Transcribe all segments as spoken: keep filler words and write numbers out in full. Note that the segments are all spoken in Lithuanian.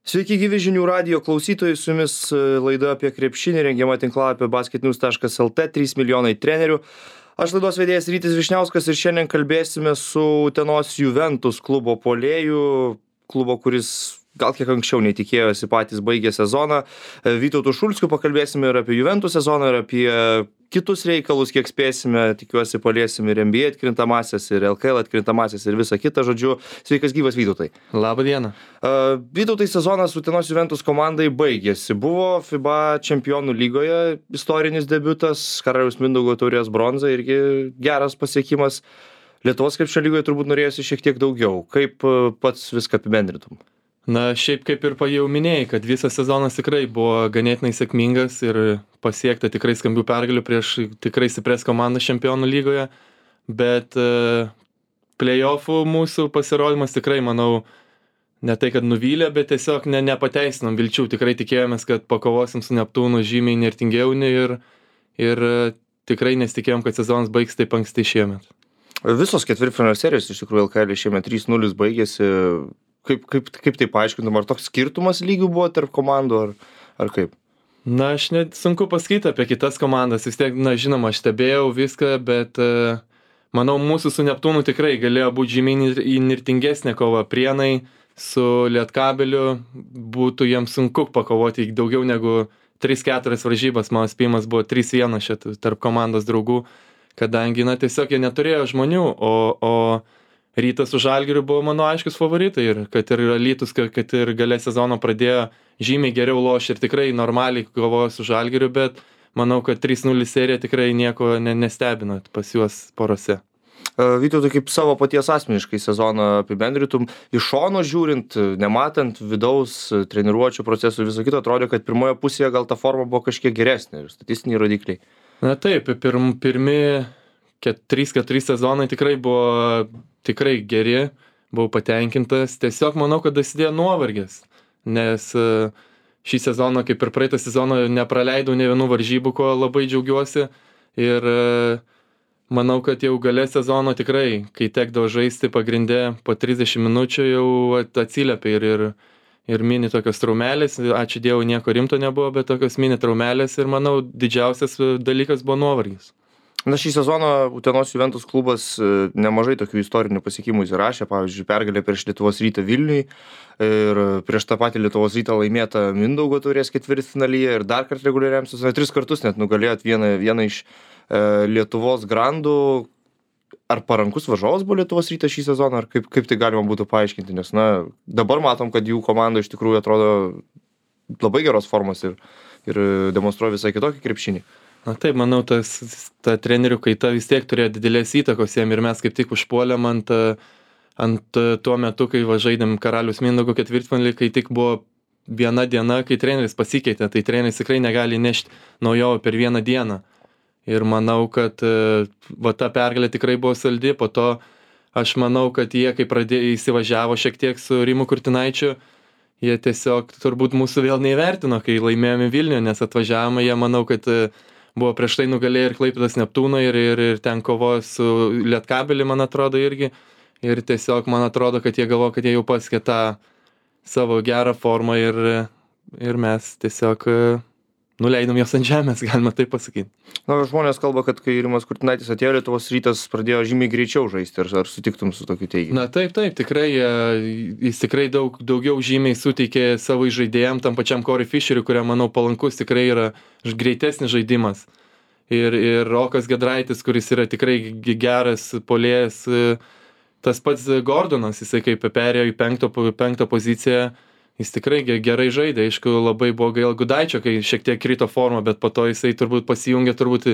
Sveiki gyvi žinių radijo klausytojai, su jumis laida apie krepšinį, rengiama tinklapio basketnews taškas lt, trys milijonai trenerių. Aš laidos vedėjas Rytis Vyšniauskas ir šiandien kalbėsime su Utenos Juventus klubo puolėju, klubo, kuris gal kiek anksčiau netikėjosi patys baigė sezoną. Vytautu Šulskiu pakalbėsime ir apie Juventus sezoną, ir apie kitus reikalus, kiek spėsime, tikiuosi paliesim ir N B A atkrintamasias, ir L K L atkrintamasias, ir visą kitą, žodžiu. Sveikas gyvas, Vytautai. Labą dieną. Uh, Vytautai, sezonas Utenos Juventus komandai baigėsi. Buvo FIBA čempionų lygoje istorinis debiutas, Karaliaus Mindaugo taurės bronza, irgi geras pasiekimas. Lietuvos krepšinio lygoje turbūt norėjosi šiek tiek daugiau. Kaip uh, pats viską apibendrintum? Na, šiaip kaip ir jau minėjai, kad visas sezonas tikrai buvo ganėtinai sėkmingas ir pasiekta tikrai skambių pergalių prieš tikrai stiprias komandas čempionų lygoje, bet uh, play-offų mūsų pasirodymas tikrai, manau, ne tai, kad nuvylė, bet tiesiog ne, nepateisinom vilčių. Tikrai tikėjomės, kad pakovosim su Neptūnu žymiai nirtingiau ir, ir uh, tikrai nesitikėjom, kad sezonas baigs taip anksti šiemet. Visos ketvirtfinalio serijos iš tikrųjų L K L šiemet trys nulis baigėsi. Kaip, kaip, kaip tai paaiškintum, ar toks skirtumas lygių buvo tarp komandų, ar, ar kaip? Na, aš net sunku pasakyti apie kitas komandas, vis tiek, na, žinoma, aš stebėjau viską, bet uh, manau, mūsų su Neptūnu tikrai galėjo būti žymiai įnirtingesnė kova. Prienai su Lietkabeliu būtų jiems sunku pakovoti daugiau negu tris keturias varžybas, mano spėjimas buvo trys vienas šit tarp komandos draugų, kadangi, na, tiesiog jie neturėjo žmonių, o, o Rytas su Žalgiriu buvo mano aiškus favoritai ir kad ir Alytus, kad ir gale sezono pradėjo žymiai geriau lošti ir tikrai normaliai kovojo su Žalgiriu, bet manau, kad trys nulis serija tikrai nieko ne, nestebino pas juos porose. Vytautai, kaip savo paties asmeniškai sezoną apibendrytum, iš šono žiūrint, nematant vidaus treniruočių procesų viso kito, atrodė, kad pirmoje pusėje gal ta forma buvo kažkiek geresnė ir statistiniai rodikliai. Na taip, pirm, pirmi trys keturi sezonai tikrai buvo tikrai geri, buvau patenkintas. Tiesiog manau, kad dasidėjo nuovargis, nes šį sezoną, kaip ir praeitą sezoną, nepraleidau ne vienų varžybų, ko labai džiaugiuosi. Ir manau, kad jau gale sezono tikrai, kai tekdavo žaisti pagrinde po trisdešimt minučių, jau atsiliepia ir, ir, ir mini tokios traumelės. Ačiū Dievui, nieko rimto nebuvo, bet tokios mini traumelės ir manau, didžiausias dalykas buvo nuovargis. Na, šį sezoną Utenos Juventus klubas nemažai tokių istorinių pasiekimų įsirašė, pavyzdžiui, pergalė prieš Lietuvos Rytą Vilniui ir prieš tą patį Lietuvos Rytą laimėta Mindaugo taurės ketvirtfinalyje ir dar kartą reguliariam sezonui, tris kartus net nugalėjot vieną, vieną iš e, Lietuvos grandų. Ar parankus varžovas buvo Lietuvos Rytas šį sezoną, ar kaip, kaip tai galima būtų paaiškinti, nes, na, dabar matom, kad jų komanda iš tikrųjų atrodo labai geros formos ir, ir demonstruoja visai kitokį krepšinį. Na taip, manau, tas, ta trenerių kaita vis tiek turėjo didelės įtakos jiem ir mes kaip tik užpuolėm ant, ant tuo metu, kai va žaidėm Karaliaus Mindaugo ketvirtfinalį, kai tik buvo viena diena, kai treneris pasikeitė, tai treneris tikrai negali nešti naujojo per vieną dieną. Ir manau, kad va ta pergalė tikrai buvo saldi, po to aš manau, kad jie, kai pradėjo įsivažiavo šiek tiek su Rimu Kurtinaičiu, jie tiesiog turbūt mūsų vėl neįvertino, kai laimėjome Vilniuje, nes atvažiavome, jie manau, kad buvo prieš tai nugalėję ir Klaipėdos Neptūną ir, ir, ir ten kovojo su Lietkabeliu, man atrodo, irgi. Ir tiesiog man atrodo, kad jie galvo, kad jie jau pasiekė tą savo gerą formą ir, ir mes tiesiog nuleidom jos ant žemės, galima taip pasakyti. Na, žmonės kalba, kad kai Rimas Kurtinaitis atėjo, Lietuvos Rytas pradėjo žymiai greičiau žaisti. Ar, ar sutiktum su tokiu teiginiu? Na taip, taip, tikrai. Jis tikrai daug, daugiau žymiai suteikė savo žaidėjam, tam pačiam Corey Fisheriui, kuriam, manau, palankus tikrai yra greitesnis žaidimas. Ir, ir Rokas Giedraitis, kuris yra tikrai geras puolėjas, tas pats Gordonas, jisai kaip perėjo į penkto, penkto poziciją, jis tikrai gerai žaidė. Aišku, labai buvo gaila Gudaičio, kai šiek tiek krito formą, bet po to jisai turbūt pasijungė, turbūt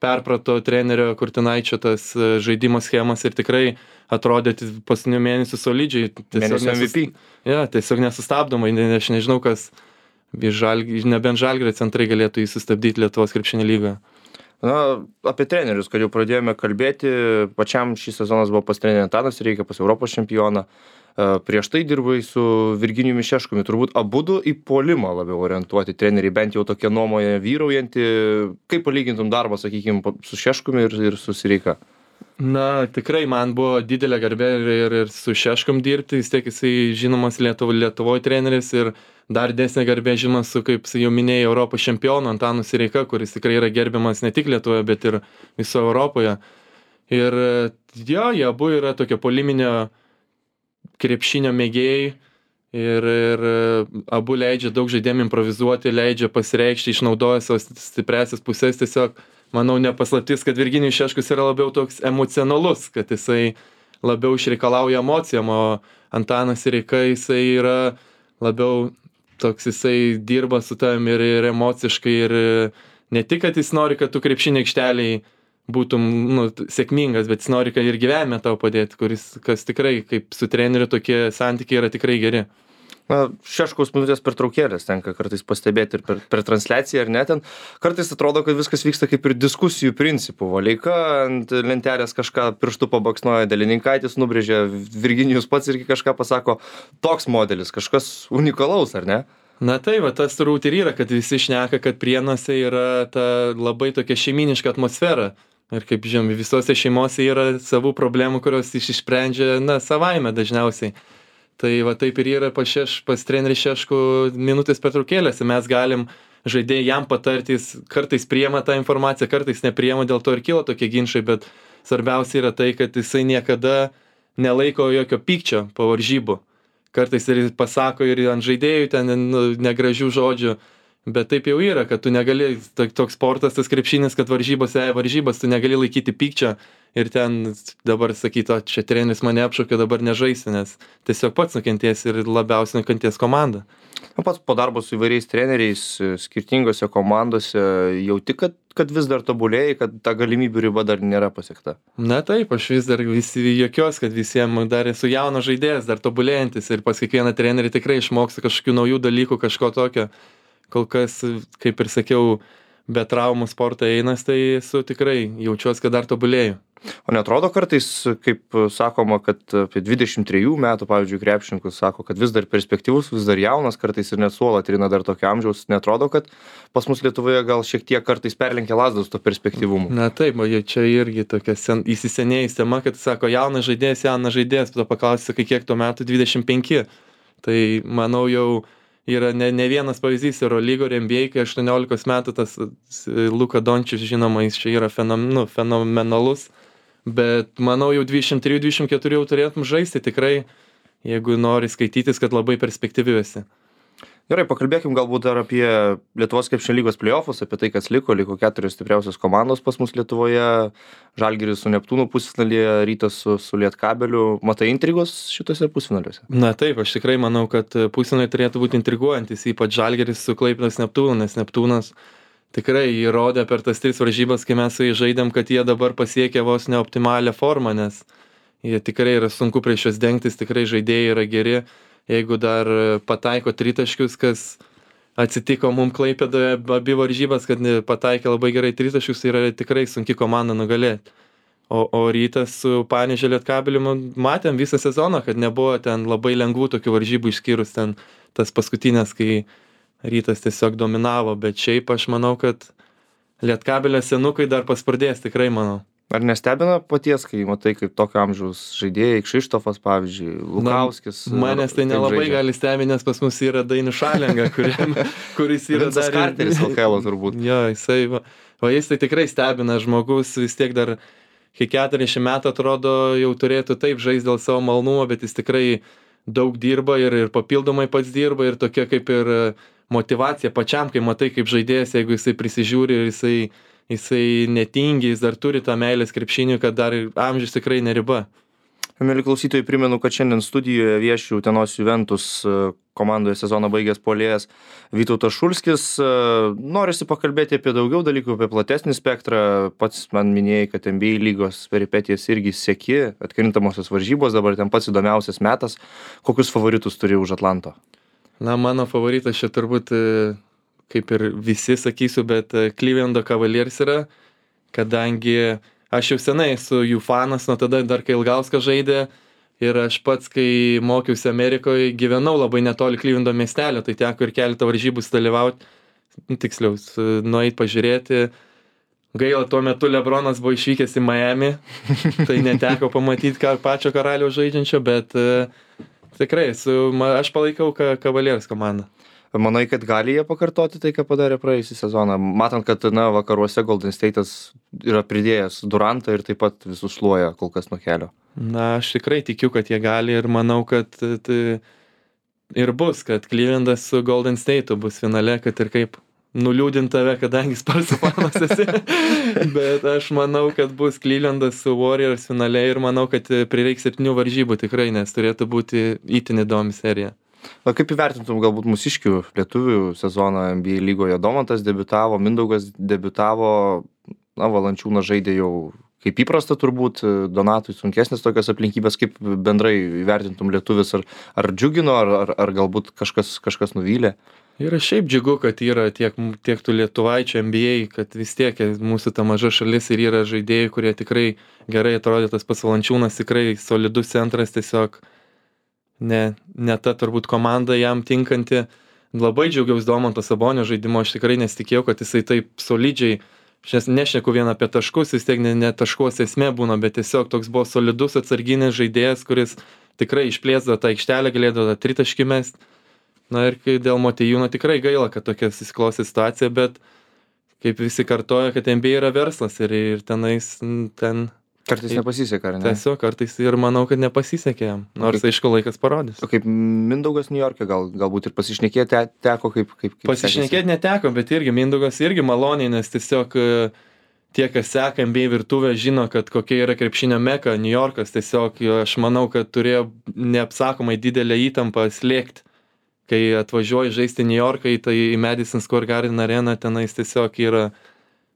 perprato trenerio Kurtinaičio tas žaidimo schemas ir tikrai atrodė paskutinių mėnesių solidžiai. Mėnesio M V P. Ja, tiesiog nesustabdomai, aš nežinau, kas, žalgi, nebent Žalgirio centrai galėtų jį sustabdyti Lietuvos krepšinio lygoje. Na, apie trenerius, kad jau pradėjome kalbėti, pačiam šis sezonas buvo pas trenerį Antanas Reikia, pas Europos čempioną. Prieš tai dirbai su Virginijumi Šeškumi, turbūt abudu į puolimą labiau orientuoti treneriai, bent jau tokia nuomonė vyraujanti. Kaip palygintum darbą, sakykime, su Šeškumi ir, ir su Sireika? Na, tikrai man buvo didelė garbė ir, ir, ir su Šeškum dirbti, vis tiek jisai žinomas Lietuvo, Lietuvoje treneris ir dar didesnė garbė žinoma su, kaip jau minėjai, Europos čempionu Antanu Sireika, kuris tikrai yra gerbiamas ne tik Lietuvoje, bet ir viso Europoje. Ir jo, jie abu yra tokio poliminio krepšinio mėgėjai ir, ir abu leidžia daug žaidėjim improvizuoti, leidžia pasireikšti, išnaudoja savo stipriasias pusės. Tiesiog, manau, nepaslaptis, kad Virginijus Šeškus yra labiau toks emocionalus, kad jisai labiau išreikalauja emocijom, o Antanas Sireika jisai yra labiau toks, jisai dirba su tavim ir, ir emociškai, ir ne tik, kad jis nori, kad tu krepšinio aikšteliai būtum nu, sėkmingas, bet jis nori, kad ir gyvenime tau padėti, kuris, kas tikrai, kaip su treneriu, tokie santykiai yra tikrai geri. Na, Šeškaus minutės pertraukėlės tenka kartais pastebėti ir per, per transliaciją ar ne ten. Kartais atrodo, kad viskas vyksta kaip ir diskusijų principų. Valeika ant lentelės kažką pirštų pabaksnoja, Delininkaitis nubrėžė, Virginijus pats irgi kažką pasako. Toks modelis, kažkas unikalaus, ar ne? Na tai, va, tas turbūt ir yra, kad visi šneka, kad Prienuose yra ta labai tokia šeiminiška atmosfera. Ir kaip žinom, visose šeimose yra savų problemų, kurios išsprendžia, na, savaime dažniausiai. Tai va taip ir yra pas, šeš, pas trenerį Šeškų minutės pertraukėlėse. Mes galim žaidėjai jam patartis, kartais priema tą informaciją, kartais nepriema, dėl to ir kilo tokie ginčai, bet svarbiausia yra tai, kad jisai niekada nelaiko jokio pykčio po varžybų. Kartais ir pasako ir ant žaidėjų ten nu, negražių žodžių. Bet taip jau yra, kad tu negali, toks sportas, tas krepšinis, kad varžybos, e, varžybos, tu negali laikyti pykčio ir ten dabar sakyti, o čia treneris mane apšaukė, dabar nežaisi, nes tiesiog pats nukenties ir labiausiai nukenties komanda. O pats po darbo su įvairiais treneriais, skirtingose komandose, jauti, kad, kad vis dar tobulėjai, kad ta galimybių riba dar nėra pasiekta? Na taip, aš vis dar visi jokios, kad visiems dar esu jaunas žaidėjas, dar tobulėjantis ir pas kiekvieną trenerį tikrai išmokstu kažkokių naujų dalykų, kažko tokio. Kol kas, kaip ir sakiau, be traumų sportą einas, tai esu tikrai jaučiuosi, kad dar tobulėju. O netrodo kartais, kaip sakoma, kad apie dvidešimt trejų metų, pavyzdžiui, krepšininkus sako, kad vis dar perspektyvus, vis dar jaunas, kartais ir net suolą trina dar tokio amžiaus. Netrodo, kad pas mus Lietuvoje gal šiek tiek kartais perlenkia lazdos to perspektyvumu? Na taip, o čia irgi tokia sen, įsisenėjus tema, kad sako, jaunas žaidėjas, jaunas žaidėjas, tada paklausi, kiek tuo metu dvidešimt penki. Tai manau jau yra ne, ne vienas pavyzdys Eurolygo ir N B A, kai aštuoniolikos metų tas Luka Dončičius, žinoma, jis čia yra fenom, nu, fenomenalus, bet manau jau dvidešimt trys dvidešimt keturi jau turėtum žaisti tikrai, jeigu nori skaitytis, kad labai perspektyviuosi. Gerai, pakalbėkim galbūt dar apie Lietuvos krepšinio lygos play-offus, apie tai, kas liko, liko keturios stipriausios komandos pas mus Lietuvoje, Žalgiris su Neptūnu pusfinalyje, Rytas su, su Lietkabeliu. Matai intrigos šitose pusfinaliuose? Na taip, aš tikrai manau, kad pusfinaliai turėtų būti intriguojantis, ypač Žalgiris su Klaipėdos Neptūnu, nes Neptūnas tikrai įrodė per tas tris varžybas, kai mes su jais žaidėm, kad jie dabar pasiekė vos neoptimalią formą, nes jie tikrai yra sunku prieš juos dengtis, tikrai žaidėjai yra geri. Jeigu dar pataiko tritaškius, kas atsitiko mum Klaipėdoje abi varžybas, kad pataikė labai gerai tritaškius, tai yra tikrai sunki komanda nugalėti. O, o Rytas su Panevėžio Lietkabeliu matėm visą sezoną, kad nebuvo ten labai lengvų tokių varžybų išskyrus ten tas paskutinės, kai Rytas tiesiog dominavo, bet šiaip aš manau, kad Lietkabelio senukai dar paspardės, tikrai manau. Ar nestebina paties, kai matai, kaip tokio amžiaus žaidėjai, Kšištofas, pavyzdžiui, Lukauskis? Na, manęs tai nelabai žaidžia. Gali stebinti, nes pas mus yra Dainius Šalenga, kuriam, kuris yra dar... Karteris L K L turbūt. Jo, jisai, va, va jis tai tikrai stebina, žmogus vis tiek dar, kai keturiasdešimt metų atrodo, jau turėtų taip žaisti dėl savo malnumo, bet jis tikrai daug dirba ir, ir papildomai pats dirba ir tokia kaip ir motyvacija pačiam, kai matai kaip žaidėjas, jeigu jisai prisižiūri ir jisai jisai netingi, jis dar turi tą meilės krepšiniui, kad dar amžius tikrai neriba. Mieli klausytojai, primenu, kad šiandien studijoje vieši Utenos Juventus komandoje sezoną baigęs puolėjas Vytautas Šulskis. Norisi pakalbėti apie daugiau dalykų, apie platesnį spektrą. Pats man minėjai, kad N B A lygos peripetijas irgi seki, atkrintamosios varžybos, dabar ten pats įdomiausias metas. Kokius favoritus turi už Atlanto? Na, mano favoritas čia turbūt... kaip ir visi sakysiu, bet Clevelando Cavaliers yra, kadangi aš jau senai esu jų fanas, nuo tada dar kai Ilgauskas žaidė ir aš pats, kai mokiausi Amerikoje, gyvenau labai netoli Clevelando miestelio, tai teko ir keletą varžybų dalyvauti, tiksliau, nueit pažiūrėti. Gaila, tuo metu Lebronas buvo išvykęs į Miami, tai neteko pamatyti ką, pačio karaliaus žaidžiančio, bet uh, tikrai, su, aš palaikau Cavaliers komandą. Manai, kad gali jie pakartoti tai, ką padarė praėjusį sezoną? Matant, kad na, vakaruose Golden State'as yra pridėjęs Durantą ir taip pat visus šluoja kol kas nuo kelio. Na, aš tikrai tikiu, kad jie gali ir manau, kad tai ir bus, kad Clevelandas su Golden State'u bus finale, kad ir kaip nuliūdint tave, kadangi Sparsų fanas esi. Bet aš manau, kad bus Clevelandas su Warriors finale ir manau, kad prireiks septynių varžybų tikrai, nes turėtų būti itin įdomi serija. Na, kaip įvertintum galbūt mūsiškių lietuvių sezoną N B A lygoje? Domantas debiutavo, Mindaugas debiutavo, na, Valančiūnas žaidė jau kaip įprasta turbūt, Donatui sunkesnės tokios aplinkybės, kaip bendrai įvertintum lietuvis, ar, ar džiugino, ar, ar, ar galbūt kažkas, kažkas nuvylė? Ir šiaip džiugu, kad yra tiek, tiek tų lietuvaičių N B A, kad vis tiek mūsų ta maža šalis ir yra žaidėjai, kurie tikrai gerai atrodė, tas pats Valančiūnas tikrai solidus centras, tiesiog ne, ne ta turbūt komanda jam tinkanti. Labai džiaugiausi Domanto Sabonio žaidimo, aš tikrai nesitikėjau, kad jisai taip solidžiai, aš nešneku vien apie taškus, vis tiek ne, ne taškos esmė būna, bet tiesiog toks buvo solidus atsarginis žaidėjas, kuris tikrai išplėsdavo tą aikštelę, galėdavo tą tritaškį mest. Na ir kai dėl Motiejūno tikrai gaila, kad tokia susiklostė situacija, bet kaip visi kartoja, kad N B A yra verslas ir, ir tenais ten... Kartais nepasisekė, ar ne? Tiesiog kartais ir manau, kad nepasisekė jam, nors kaip, aišku laikas parodys. O kaip Mindaugas New York'e, gal, galbūt ir pasišnekėti te, teko, kaip... kaip, kaip pasišnekėti neteko, bet irgi Mindaugas irgi maloniai, nes tiesiog tie, kas seka N B A virtuvę, žino, kad kokia yra krepšinio meka, New York'as tiesiog, aš manau, kad turėjo neapsakomai didelę įtampą slėgti. Kai atvažiuoji žaisti New York'ą, tai į Madison Square Garden areną tenais tiesiog yra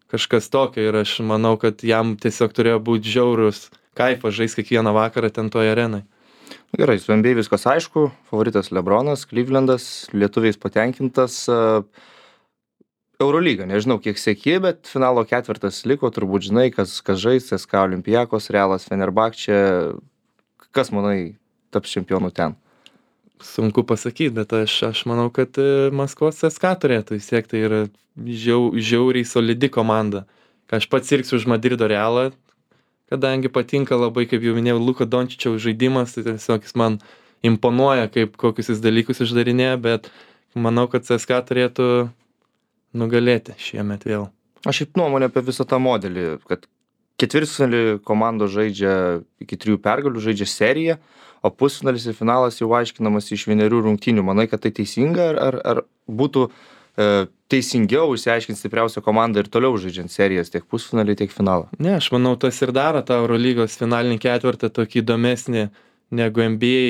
kažkas tokio ir aš manau, kad jam tiesiog turėjo būti žiaurus kaifas žaisti kiekvieną vakarą ten toje arenai. Gerai, su N B A viskas aišku, favoritas LeBronas, Clevelandas, lietuviais patenkintas. Eurolyga, nežinau kiek seki, bet finalo ketvirtas liko, turbūt žinai, kas, kas žais, C S K A Olympiakos, Realas Fenerbahčė, kas manai taps čempionu ten? Sunku pasakyti, bet aš, aš manau, kad Maskvos C S K A turėtų, vis tiek tai yra žiau, žiauriai solidi komanda. Ką aš pats sirgsiu už Madrido Realą, kadangi patinka labai, kaip jau minėjau, Luka Dončičiaus žaidimas, tai tiesiog jis man imponuoja, kaip kokius jis dalykus išdarinėja, bet manau, kad C S K A turėtų nugalėti šiemet vėl. Aš šiaip nuomonę apie visą tą modelį, kad ketvirtfinalį komandos žaidžia iki trijų pergalių, žaidžia seriją, o pusfinalis ir finalas jau aiškinamas iš vienerių rungtynių. Manai, kad tai teisinga, ar, ar, ar būtų e, teisingiau išsiaiškinti stipriausią komandą ir toliau žaidžiant serijas tiek pusfinalį, tiek finalą? Ne, aš manau, tas ir daro tą Eurolygos finalinį ketvirtą tokį įdomesnį negu N B A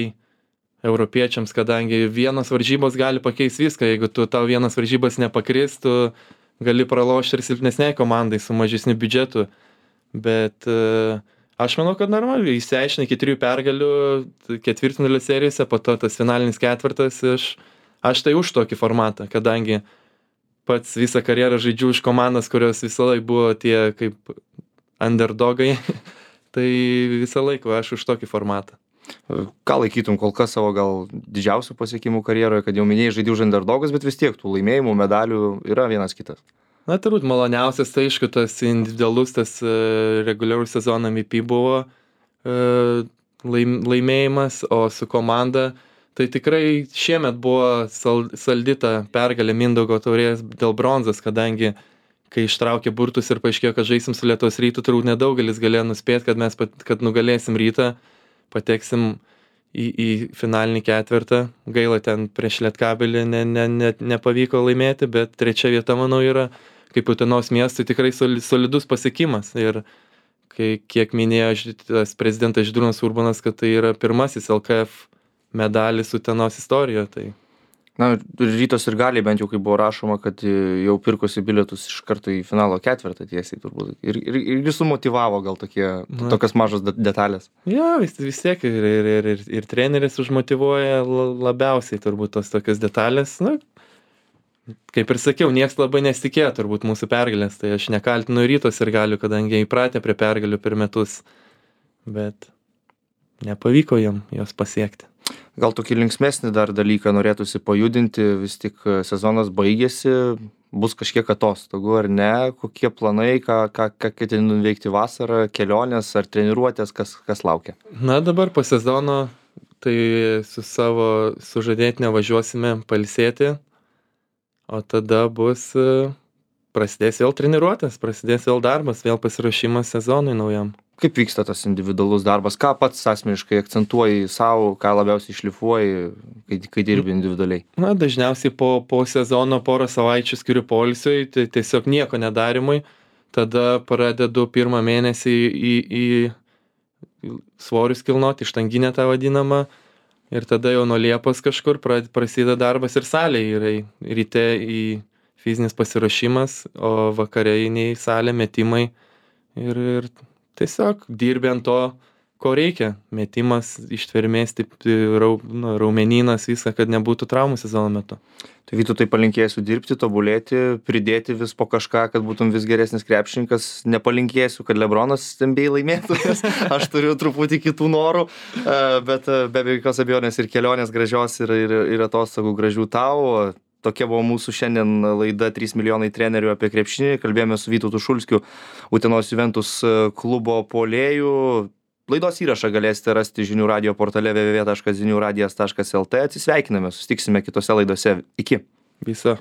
europiečiams, kadangi vienas varžybos gali pakeisti viską. Jeigu tu tau vienas varžybas nepakris, tu gali pralošti ir silpnesniai komandai su mažesniu biudžetu. Bet e, aš manau, kad normaliai išsiaiškina iki trijų pergalių ketvirtfinalio serijose, po to tas finalinis ketvirtas. Aš, aš tai už tokį formatą, kadangi pats visą karjerą žaidžiu už komandas, kurios visą laiką buvo tie kaip underdogai. Tai visą laiką aš už tokį formatą. Ką laikytum kol kas savo gal didžiausių pasiekimų karjeroje, kad jau minėjai žaidži už underdogas, bet vis tiek tų laimėjimų, medalių yra vienas kitas? Na, turbūt maloniausias, tai aišku, tas individualus, tas uh, reguliarus sezono M V P buvo uh, laim, laimėjimas, o su komanda, tai tikrai šiemet buvo sal, saldita pergalė Mindaugo taurės dėl bronzos, kadangi kai ištraukė burtus ir paaiškėjo, kad žaisim su Lietuvos Rytu, turbūt nedaugelis galėjo nuspėti, kad mes pat, kad nugalėsim Rytą, pateksim į, į finalinį ketvirtą. Gaila, ten prieš Lietkabelį ne, ne, ne, nepavyko laimėti, bet trečia vieta, manau, yra kaip Utenos miestui tikrai solidus pasiekimas. Ir kai, kiek minėjo tas prezidentas Žydrūnas Urbonas, kad tai yra pirmasis L K F medalis Utenos istorijoje. Tai... Na, Rytos ir gali, bent jau kaip buvo rašoma, kad jau pirkosi bilietus iš karto į finalo ketvirtą tiesiai turbūt. Ir, ir, ir jis sumotyvavo gal tokie, Na. tokias mažas detalės. Jo, vis, vis tiek ir, ir, ir, ir, ir treneris užmotyvuoja labiausiai turbūt tos tokias detalės. Na, kaip ir sakiau, nieks labai nesitikėjo turbūt mūsų pergalės, tai aš nekaltinu Rytos ir galiu, kadangi įpratę prie pergalių per metus, bet nepavyko jam jos pasiekti. Gal tokį linksmesnį dar dalyką norėtųsi pajudinti, vis tik sezonas baigėsi, bus kažkiek atostogų ar ne, kokie planai, ką, ką, ką ketini nuveikti vasarą, kelionės ar treniruotės, kas, kas laukia? Na, dabar po sezono tai su savo sužadėtine važiuosime pailsėti o tada bus, e, prasidės vėl treniruotės, prasidės vėl darbas, vėl pasiruošimas sezonui naujam. Kaip vyksta tas individualus darbas? Ką pats asmeniškai akcentuoji savo, ką labiausiai šlifuoji, kai, kai dirbi individualiai? Na, dažniausiai po, po sezono porą savaičių skiriu poilsiui, tai tiesiog nieko nedarimui. Tada pradedu pirmą mėnesį į, į, į svorius kilnoti, ištanginę tą vadinamą. Ir tada jau nuo Liepos kažkur pra- prasideda darbas ir salėje. Yra į- ryte į fizinis pasiruošimas, o vakare eini į salę, metimai. Ir, ir tiesiog dirbi ant to, ko reikia. Metimas, ištvermės, taip, rau, nu, raumenynas, viską, kad nebūtų traumų sezono metu. Tai Vytautai palinkėsiu dirbti, tobulėti, pridėti vis po kažką, kad būtum vis geresnis krepšininkas. Nepalinkėsiu, kad Lebronas N B A laimėtų, nes aš turiu truputį kitų norų, E, bet e, be jokios abejonės ir kelionės gražios ir, ir, ir atostogų gražių tau. Tokia buvo mūsų šiandien laida trys milijonai trenerių apie krepšinį. Kalbėjome su Vytautu Šulskiu, Utenos Juventus klubo puolėju. Laidos įrašą galėsite rasti žinių radijo portale w w w taškas zinių radijas taškas l t. Atsisveikiname, susitiksime kitose laidose. Iki. Viso.